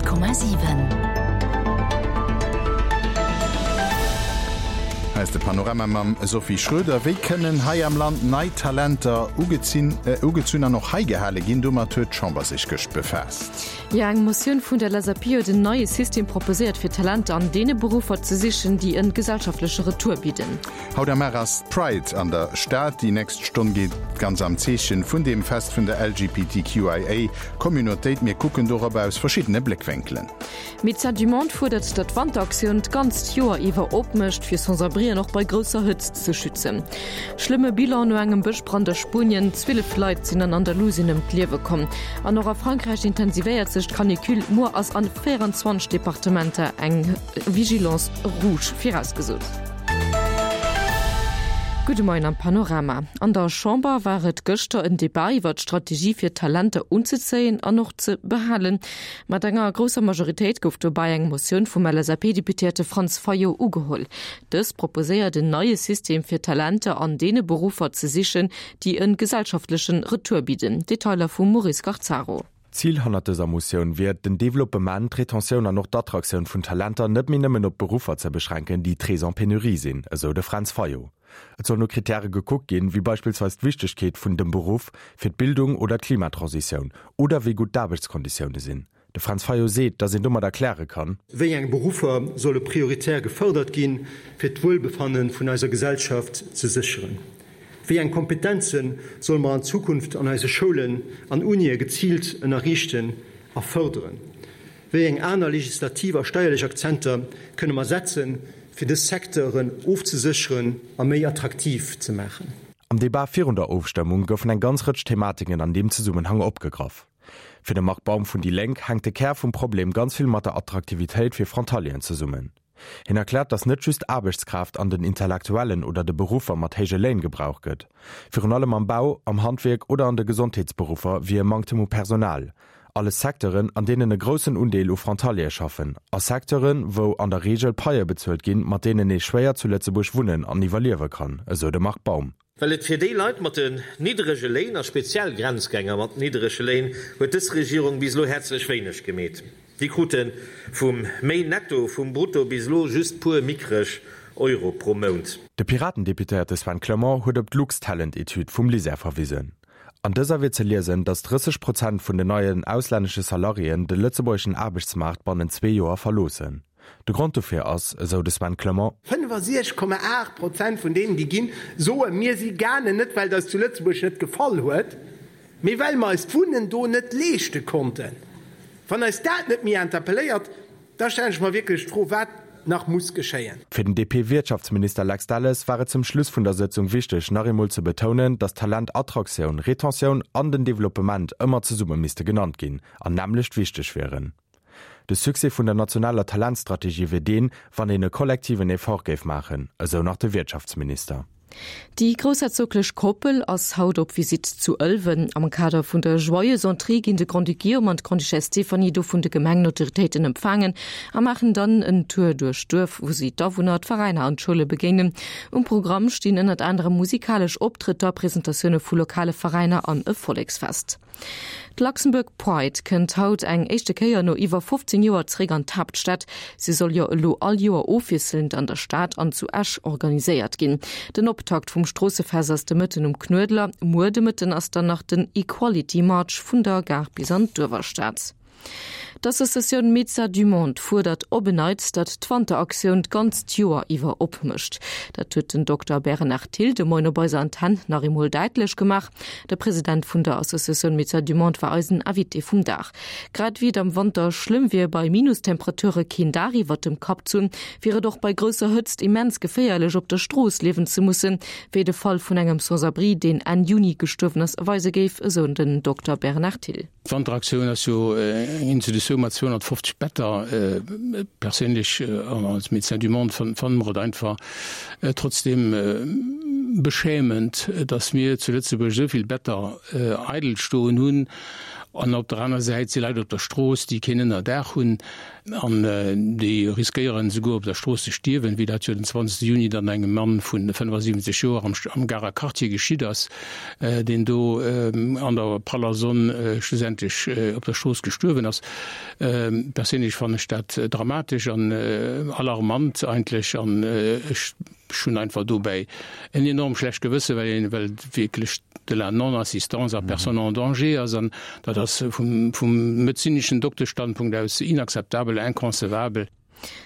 100,7. Hei ass de Panorama mam Sophie Schröder. Wéi kënnen hei am Land nei Talenter ugezunn an och hei gehale ginn? Domat huet d'Chamber sech gëscht befaasst. Jo, eng Motioun vun der LSAP huet en neie System proposéiert, fir Talenter an deene Beruffer ze sichen, déi en gesellschaftleche Retour bidden. Haut am Mar ass d'Pride an der Stad. Déi nächst Stonn geet ganz am Zeechen vun deem Fest vun der LGBTQIA Communautéit. Mir kucken dorop aus verschiddene Bléckwénkelen. Médecins du Monde fuerdert, datt d'Wanteraktioun d'ganzt Joer iwwer opmécht, fir Sans-abrien och bei grousser Hëtzt ze schützen. Schlëmme Bilan no engem Bëschbrand a Spuenien, 12 Leit sinn an Andalusien ëm d'Liewe komm. An och a Frankräich intensivéiert sech d'Canicule, muer ass an 24 Departementer eng Vigilance rouge virausgesot. Gudde Moien am Panorama. An der Chamber war et gëschter en Debat iwwer d'Strategie fir Talenter unzezéien an och ze behalen. Mat enger grousser Majoritéit gouf dobäi eng Motioun vum LSAP-Deputéierte Franz Fayot ugeholl. Dës proposéiert en neie System fir Talenter an deene Beruffer ze sichen, déi e gesellschaftlechen Retour bidden. Detailer vum Maurice Garzaro. Zil hannert dëser Motioun wier et, den Developpement, d'Retentioun an och d'Attraktioun vun Talenter net méi nëmmen op Beruffer ze beschränken, déi très en pénurie sinn, esou de Fränz Fayot. Et soll no Krittäre gekuckt ginn, wéi beispillsweis d'Wichtegkeet vun dem Beruff fir d'Bildung oder d'Klimatransitioun oder wéi gutt d'Aarbechtskonditioune sinn. De Fränz Fayot seet, datt een domat erkläre kann. Wéi eng Beruffer solle prioritär gefërdert ginn, fir d'Wuelbefanne vun eiser Gesellschaft ze sécheren? Wéi eng Kompetenze solle mer an Zukunft an eise Schoulen an Unië geziilt ënnerriichten a fërderen? Wéi eng aner legislativ a steierlech Akzenter kënne mer setzen, fir dës Secteuren ofzesécheren a méi attraktiv ze maachen? Am Debat virun der Ofstëmmung goufen eng ganz Rëtsch Thematiken an deem Zesummenhang opgegraff. Fir de Marc Baum vun déi Lénk hänkt de Kär vum Problem ganz vill mat der Attraktivitéit fir Frontalieren zesummen. Hien erkläert, datt net just Aarbechtskraaft an den intellektuellen oder de Beruffer mat héije Léin gebraucht gëtt. Virun allem am Bau, am Handwierk oder an de Gesondheetsberuffer wier e Manktem u Personal. Alles Secteuren, an deenen e groussen Undeel u Frontaliere schaffen. A Secteuren, wou an der Reegel Paie bezuelt ginn, mat deenen ee schwéier zu Lëtzebuerg wunnen an iwwerliewe kann, esou de Marc Baum. Well et fir déi Leit mat den nidderege Léin, a speziell Grenzgänger mat nidderege Léin, huet dës Regierung bis elo häerzlech wéineg gemeet. Déi krute vum méi Netto vum Brutto bis elo just puer mickreg Euro pro Mount. De Piraten-Deputéierte Sven Clement huet op d'Luxtalent-Etüd vum LISER verwisen. An dëser wier ze liesen, datt 30 Prozent vun den neien auslännesche Salariéen de lëtzebuergeschen Aarbechtsmaart bannent zwee Joer verloossen. De Grond dofir ass, esou de Sven Clement. 65,8 Prozent vun deenen, déi ginn, soen, mir si gaangen, net well et eis zu Lëtzebuerg net gefall huet, mee well mer eis d'Wunnen do net leeschte konnten. Wann eis dat net méi interpelléiert, da stellen ech mer wierklech d'Fro, wat nach muss geschéien. Fir den DP-Wirtschaftsminister Lex Delles war et zum Schluss vun der Sëtzung wichteg, nach eemol ze betounen, datt Talentattraktioun, Retentioun an den Developpement ëmmer zesumme misste genannt ginn an nämmlecht wichteg wieren. De Succès vun der nationaler Talentstrategie wier deen, wann een e kollektiven Effort géif maachen, esou nach de Wirtschaftsminister. Déi groussherzoglech Koppel ass haut op Visitt zu Ëlwen. Am Kader vun der Joyeuse Entrée ginn de Grand-Duc Guillaume an d'Grande-Duchesse Stéphanie do vun de Gemengenautoritéiten empfaangen a maachen dann en Tour duerch d'Duerf, wou si d'Awunner, d'Veräiner an d'Schoule begéinen. Um Programm stinn ënnert anerem musikalesch Optrëtter, Presentatioune vu lokale Veräiner an e Volleksfest. D'Luxembourg Pride kënnt haut eng éischte Kéier no iwwer 15 Joer zeréck an d'Haaptstad. Si soll jo elo all Joer ofwiesselnd an der Stad an zu Esch organiséiert ginn. Den Optakt vum Stroossefest ass de Mëtten um Knuedler. Muer de Mëtten ass dann nach den Equality March vun der Gare bis an d'Uewerstad. D'Associatioun Médecins du Monde fuerdert op en Neits, datt d'Wanteraktioun d'ganzt Joer iwwer opmécht. Dat huet den Dokter Bernard Thill de Moien op eiser Antenn nach eemol däitlech gemaach. De President vun der Associatioun Médecins du Monde war eisen Invité vum Dag. Grad ewéi et am Wanter schlëmm wier, bei Minustemperature keen Daach iwwert dem Kapp z'hunn, wier et och bei grousser Hëtzt immens geféierlech, op der Strooss liewen ze mussen, wéi de Fall vun engem Sans-abri, deen Enn Juni gestuerwen ass, weise géif, esou den Dokter Bernard Thill. D'Wanteraktioun ass jo eng Institutioun mat 250 Better. Perséinlech an als Médecins du Monde fanne mer et einfach trotzdeem beschämend, datt mir zu Lëtzebuerg esou vill Better eidel stoen hunn an op der aner Säit si Leit op der Strooss, déi keen Ënnerdaach hunn. An déi riskéieren esouguer op der Strooss ze stierwen, wéi dat jo den 20 Juni dann engem Mann vu 75 Joer am Garer Quartier geschitt ass, deen do an der praller Sonn schlussendlech op der Strooss gestuerwen ass. Perséinlech fannen ech dat dramatesch an alarmant eigentlech an ech Ech hunn einfach dobäi en enorm schlecht Gewësse well een, well et wierklech de la non-assistance à personne en danger ass an dat ass vum, vum medezineschen Dokteschstandpunkt aus inakzeptabel, inconcevabel.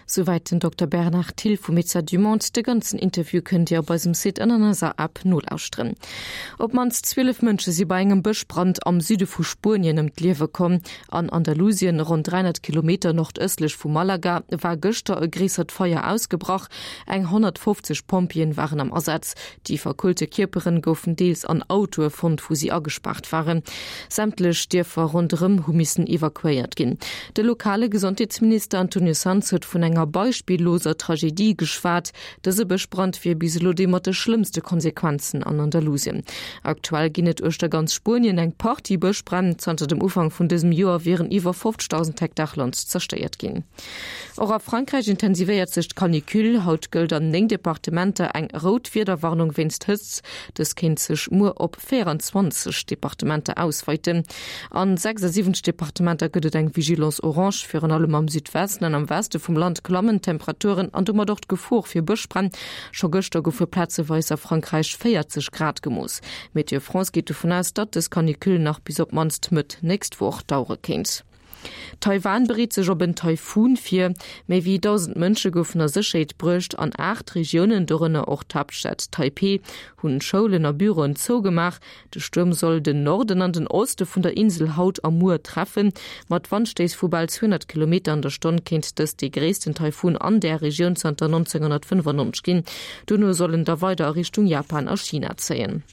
Souwäit den Dokter Bernard Thill vu Médecins du Monde. De ganzen Interview kënnt Dir op eisem Site an an eiser App nolauschteren. Op d'mannst 12 Mënsche si bei engem Bëschbrand am Süde vu Spuenien ëm d'Liewe komm. An Andalusien, ronn 300 Kilometer nordëstlech vu Malaga, war gëschter e gréissert Feier ausgebrach. Eng 150 Pompjeeën waren am Asaz. Déi verkullte Kierperen goufen deels an Autoe fonnt, wou si agespaart waren. Sämtlech Dierfer ronderëm hu missen evakuéiert ginn. De lokale Gesondheetsminister Antonio Sanz huet vun enger beispilloser Tragedie geschwat. Dëse Bëschbrand wier bis elo dee mat de schlëmmste Konsequenzen an Andalusien. Aktuell ginn et uechter ganz Spuenien eng Partie Bëschbränn. Zanter dem Ufank vun dësem Joer wieren iwwer 50.000 Hektar Land zerstéiert ginn. Och a Frankräich intensivéiert sech d'Canicule. Haut gëllt an 9 Departementer eng rout Wiederwarnung wéinst Hëtzt. Dës kéint sech muer op 24 Departementer ausweiten. An 76 Departementer gëtt et eng Vigilance orange. Virun allem am Südwesten an am Weste vum Land klammen d'Temperaturen an domat och d'Gefor fir Bëschbränn. Scho gëschter goufe plazeweis a Frankräich 40 Grad gemooss. Météo France geet dovun aus, datt dës Canicule nach bis op d'mannst Mëtt nächst Woch dauere kéint. Taiwan bereet sech op en Taifun vir. Méi wéi 1.000 Mënsche goufen a Sécherheet bruecht. An 8 Regiounen, dorënner och d'Haaptstad Taipeh, hunn Schoulen a Büroen zougemaach. De Stuerm soll den Norden an den Oste vun der Insel haut a muer treffen. Mat Wandstéiss vu bal 200 Kilometer an der Stonn kéint dëst dee gréissten Taifun an där Regioun zanter 1995 ginn. Dono soll en da weider a Richtung Japan a China zéien.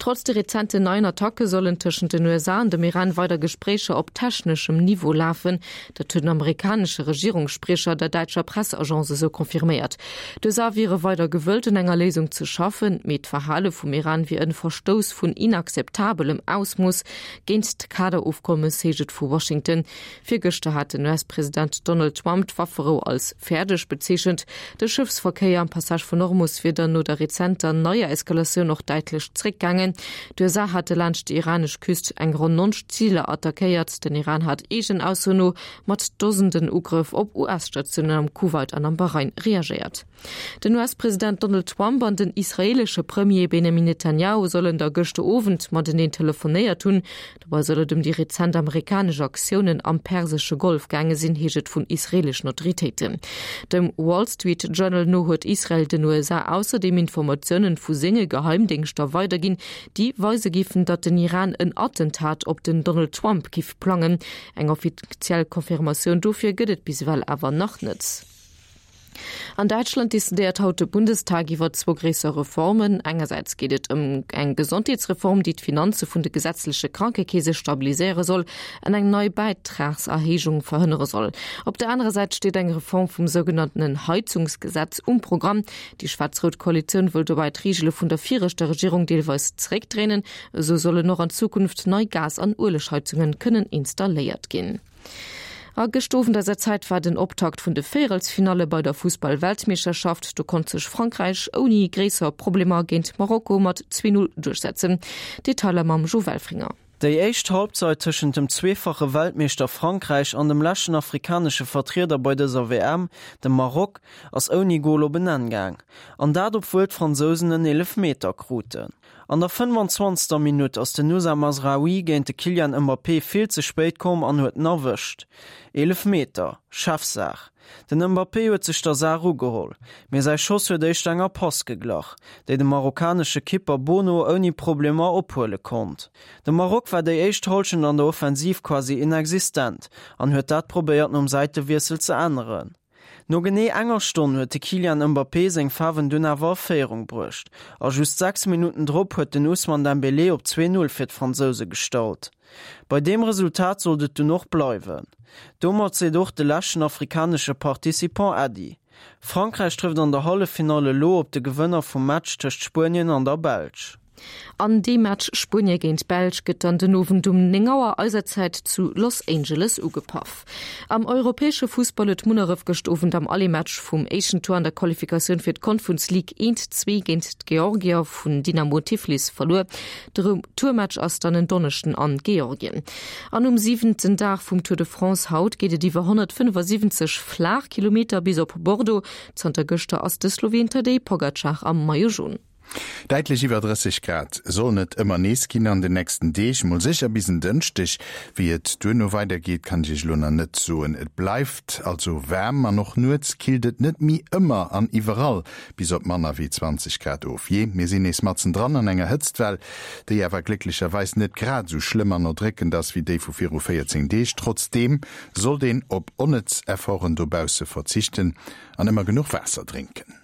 Trotz de rezenten neien Attacke sollen tëschent den USA an dem Iran weider Gespréicher op techneschem Niveau lafen. Dat huet en amerikanesche Regierungsspriecher der däitscher Presseagence esou confirméiert. D'USA wiere weider gewëllt, un enger Léisung ze schaffen, mee d'Verhale vum Iran wier en Verstouss vun inakzeptabelem Ausmooss géint d'Kaderofkommes, heescht et vu Washington. Virgëschter hat den US-President Donald Trump d'Wafferou als fäerdeg bezeechent. De Schëffsverkéier am Passage vun Hormus wier dann no der rezenter neier Eskalatioun och däitlech zréckgaangen. D'USA hate laanscht déi iranesch Küst eng ronn 90 Ziler attackéiert. Den Iran hat eegenen Aussoen no mat Dosenden Ugrëff op US-Statiounen am Kuwait an am Bahrain reagéiert. Den US-President Donald Trump an den israeelesche Premier Benjamin Netanjahu sollen da gëschter Owend mateneen telefonéiert hunn. Dobei soll et ëm déi rezent amerikanesch Aktiounen am persesche Golf gaange sinn, heescht et vun israeeleschen Autoritéiten. Dem Wall Street Journal no huet Israel den USA ausserdeem Informatiounen vu senge Geheimdéngschter weiderginn, déi weise géifen, datt den Iran en Attentat op den Donald Trump giff plangen. Eng offiziell Confirmatioun dofir gëtt et bis ewell awer nach net. An Däitschland decidéiert haut de Bundestag iwwer zwou gréisser Reformen. Engersäits geet et ëm eng Gesondheetsreform, déi d'Finanze vun de gesetzleche Krankekeese stabiliséiere soll an eng nei Bäitragserhéijung verhënnere soll. Op der anerer Säit steet eng Reform vum sougenanntenen Heizungsgesetz um Programm. Déi schwaarz-rout Koalitioun wëll dobäi d'Reegele vun der viregter Regierung deelweis zeréckdréinen. Esou sollen och an Zukunft nei Gas an Uelegheizunge kënnen installéiert ginn. A gëscht Owend eiser Zäit war den Optakt vun de Véierelsfinalle bei der Fussball-Weltmeeschterschaft. Do konnt sech Frankräich ouni gréisser Problemer géint Marokko mat 2, 0 duerchsetzen. Detailer mam Jo Welfringer. Déi éischt Halbzeit tëschent dem zweefache Weltmeeschter Frankräich an dem leschten afrikanesche Vertrieder bei dëser WM, dem Maroc, ass ouni Gol op en Enn gaang. An dat obwuel d'Fransousen en Eelefmeter kruten. An der 25. Minutt ass den Noussair Mazraoui géint de Kylian Mbappé vill ze spéit komm an huet en erwëscht. Eelefmeter, Chefsaach. Den Mbappé huet sech der Saach ugeholl, mee säi Schoss huet éischter enger Pass geglach, déi de marokkanesche Kipper Bono ouni Problemer ophuele konnt. De Maroc war déi éischt Hallschent an der Offensiv quasi inexistent an huet dat probéiert nom Säitewiessel ze änneren. No genee enger Stonn huet de Kylian Mbappé seng Faarwen dunn awer a Féierung bruecht a just 6 Minutten drop huet den Ousmane Dembélé op 2, 0 fir d'Fransouse gestallt. Bei deem Resultat sollt et dunn och bleiwen. Domat seet och de leschten afrikanesche Participant Äddi. Frankräich trëfft an der Halleffinall elo op de Gewënner vum Match tëscht Spuenien an der Belsch. An dee Match Spuenie géint Belsch gëtt dann den Owend um 9 Auer eiser Zäit zu Los Angeles ugepaff. Am europäesche Fussball huet Munneref gëscht Owend am Aller-Match vum éischten Tour an der Qualifikatioun fir d'Conference League 1, 2 géint d'Georgier vun Dynamo Tiflis verluer. De Retourmatch ass dann en Donneschden an Georgien. An um siwenten Dag vum Tour de France haut geet et iwwer 175 flaach Kilometer bis op Bordeaux. Zanter gëschter ass de Sloween Tadej Pogacar am Maillot Jaune. Däitlech iwwer 30 Grad sollen et ëmmer nees ginn an den nächsten Deeg, mol sécher bis en Dënschdeg. Wéi et duerno weidergeet, kann ech Iech elo nach net soen. Et bleift also waarm an och nuets killt et net méi ëmmer an iwwerall bis op manner wéi 20 Grad of. Jee, mir sinn nees matzendran an enger Hëtztwell, déi awer glécklecherweis net grad esou schlëmm an erdréckend ass wéi déi vu viru 14 Deeg. Trotzdeem sollt een op onnëtz Efforten dobausse verzichten an ëmmer genuch Waasser drénken.